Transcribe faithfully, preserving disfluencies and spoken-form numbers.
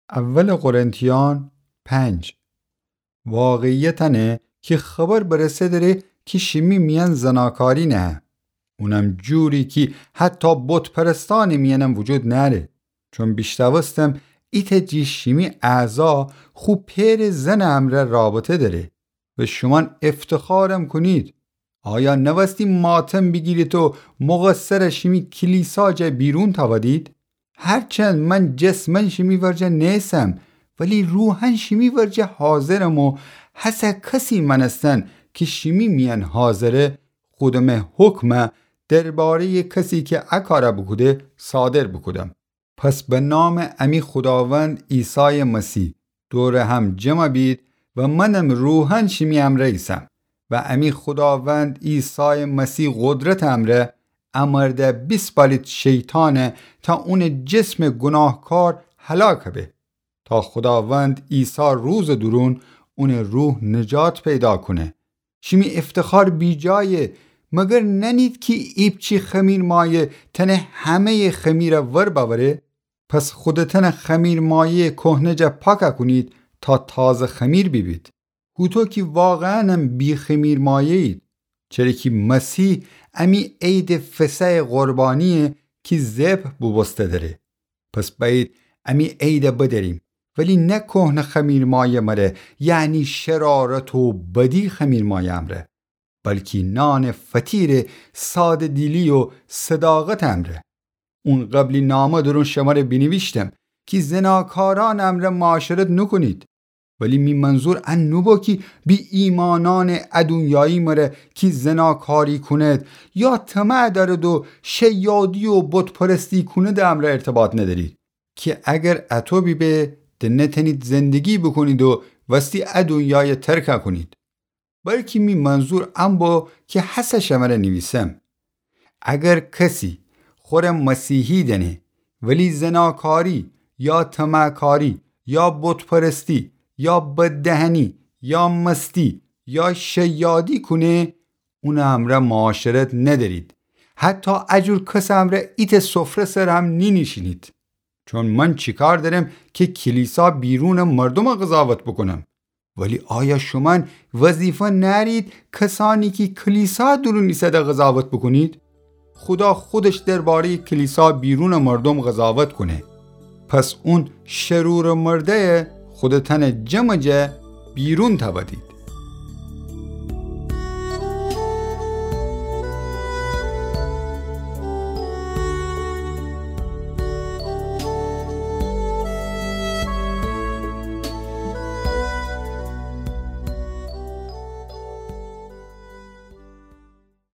اول قرنتیان پنج. واقعیت انه کی خبر برسه دره کی شیمی میأن زناکاری نهه. اونم جوری کی حتی بت‌پرستأنٚ میأنم وجود نأره. چون بیشنوستم ایتأ جٚه شیمی اعضا خو پئرٚ زنٚ امرأ رابطه دأره و شومأن افتخارم کونید. آیا نوأستی ماتم بیگیرید و مقصرٚ شیمی کلیسا جا بیرون تأودید؟ هرچند من جسماً شیمی ورجه نیسم، ولی روحاً شیمی ورجه حاضرم و هسه کسی مأنستن کی شیمی میأن حاضره، خودمه حکمه درباره‌یٚ کسی کی ا کاره بوکوده صادر بوکودم. پس به نامٚ امی خوداوند عیسایٚ مسیح دورٚ هم جمع بید و منم روحاً شیمی امرأ ایسم و امی خوداوند عیسایٚ مسیح قدرتٚ امرأ ا مرده بیسپالید شیطانه تا اونٚ جسمٚ گوناهکار هلاک به، تا خوداوند عیسی روزٚ دورون اونٚ روح نجات پیدا کونه. شیمی افتخار بیجایه، مگر نأنید کی ایپچی خمیرمایه تأنه همه‌یٚ خمیره ور بأوره؟ پس خودتأنه خمیرمایه‌یٚ کهنه جا پاک کونید تا تازه خمیر بیبید. هوطو کی واقعاًم بی‌خمیرمایه‌یید، چره کی مسیح امی عیدٚ فصحٚ قربانییه کی ذبح بوبوسته دره. پس بأیید امی عیده بدأریم، ولی نه کهنه خمیرمایه مره، یعنی شرارت و بدی خمیرمایه امرأ، بلکی نانٚ فطیرٚ ساده‌دیلی و صداقتٚ امرأ. اون قبلی نامه دورون شمره بینیویشتم کی زناکارأنٚ امرأ معاشرت نوکونید. ولی می منظور ان نوبو کی بی‌ایمأنأنٚ ا دونیایی مره کی زناکاری کونید یا طمع دأرید و شیادی و بت‌پرستی کونیدٚ امرأ ارتباط ندأرید، کی اگر اطو بیبه د نتأنید زندگی بوکونید و وستی ا دونیایه ترک کونید. بلکی می منظور ان بو کی هسه شمره نیویسم. اگر کسی خوره مسیحی دأنه، ولی زناکاری یا طمعکاری یا بت‌پرستی یا بددهنی یا مستی یا شیادی کونه، اونٚ امرأ معاشرت ندأرید. حتی ا جور کسٚ امرأ ایتأ سفره سر هم نینیشینید. چون من چی کار دأرم کی کلیسا بیرونٚ مردوم قضاوت بوکونم؟ ولی آیا شومأن وظیفه نأرید کسأنی کی کلیسا دورون ایسده قضاوت بوکونید؟ خودا خودش درباره‌یٚ کلیسا بیرونٚ مردوم قضاوت کونه. پس اون شرورٚ مرده‌یه خودتأنٚ جمعٚ جا بیرون تأودید.